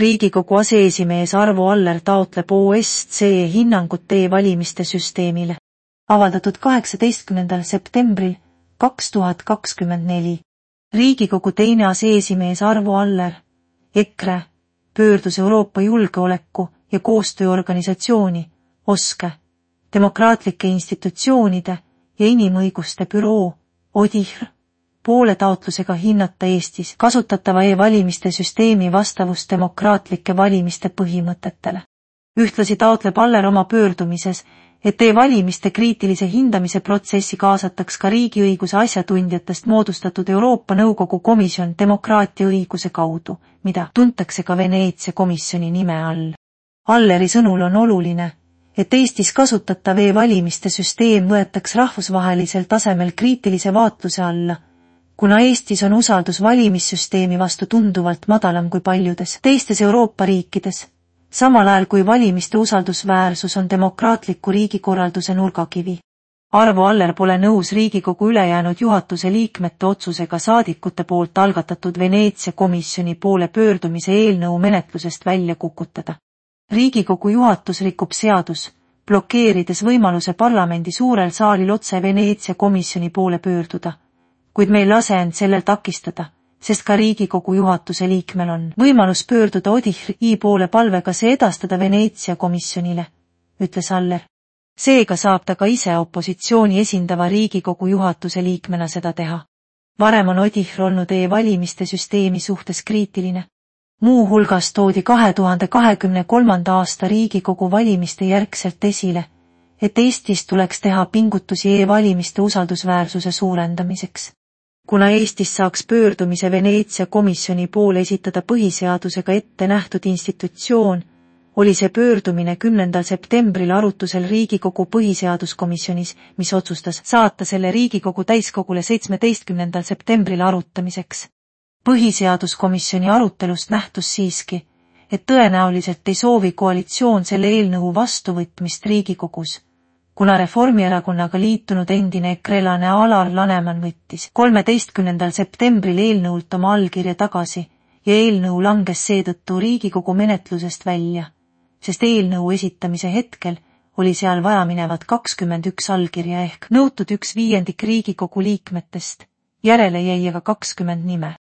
Riigikogu aseesimees Arvo Aller taotleb OSCE hinnangut e-valimiste süsteemile. Avaldatud 18. septembril 2024. Riigikogu teine aseesimees Arvo Aller, EKRE, pöördus Euroopa Julgeoleku- ja Koostööorganisatsiooni, OSCE, demokraatlike institutsioonide ja inimõiguste büroo, ODIHR, poole taotlusega hinnata Eestis kasutatava e-valimiste süsteemi vastavust demokraatlike valimiste põhimõtetele. Ühtlasi taotleb Aller oma pöördumises, et e-valimiste kriitilise hindamise protsessi kaasataks ka riigiõiguse asjatundjatest moodustatud Euroopa Nõukogu komisjon demokraatia õiguse kaudu, mida tuntakse ka Veneetsia komisjoni nime all. Alleri sõnul on oluline, et Eestis kasutatav e-valimiste süsteem võetaks rahvusvahelisel tasemel kriitilise vaatluse alla, kuna Eestis on usaldus valimissüsteemi vastu tunduvalt madalam kui paljudes teistes Euroopa riikides, samal ajal kui valimiste usaldusväärsus on demokraatliku riigikorralduse nurgakivi. Arvo Aller pole nõus Riigikogu ülejäänud juhatuse liikmete otsusega saadikute poolt algatatud Veneetsia komisjoni poole pöördumise eelnõu menetlusest välja kukutada. Riigikogu juhatus rikub seadus, blokeerides võimaluse parlamendi suurel saalil otse Veneetsia komisjoni poole pöörduda, kuid me ei lase end sellel takistada, sest ka Riigikogu juhatuse liikmel on võimalus pöörduda ODIHR-i poole palvega see edastada Veneetsia komisjonile, ütles Aller. Seega saab ta ka ise opositsiooni esindava Riigikogu juhatuse liikmena seda teha. Varem on ODIHR olnud e-valimiste süsteemi suhtes kriitiline. Muu hulgas toodi 2023. aasta Riigikogu valimiste järgselt esile, et Eestis tuleks teha pingutusi e-valimiste usaldusväärsuse suurendamiseks. Kuna Eestis saaks pöördumise Veneetsia komisjoni poole esitada põhiseadusega ette nähtud institutsioon, oli see pöördumine 10. septembril arutusel Riigikogu põhiseaduskomisjonis, mis otsustas saata selle Riigikogu täiskogule 17. septembril arutamiseks. Põhiseaduskomisjoni arutelust nähtus siiski, et tõenäoliselt ei soovi koalitsioon selle eelnõu vastuvõtmist Riigikogus, kuna Reformierakonnaga liitunud endine ekrelane Alar Laneman võttis 13. septembril eelnõult oma allkirja tagasi ja eelnõu langes seetõttu Riigikogu menetlusest välja, sest eelnõu esitamise hetkel oli seal vajaminevad 21 allkirja ehk nõutud 1/5 Riigikogu liikmetest, järele jäi aga 20 nime.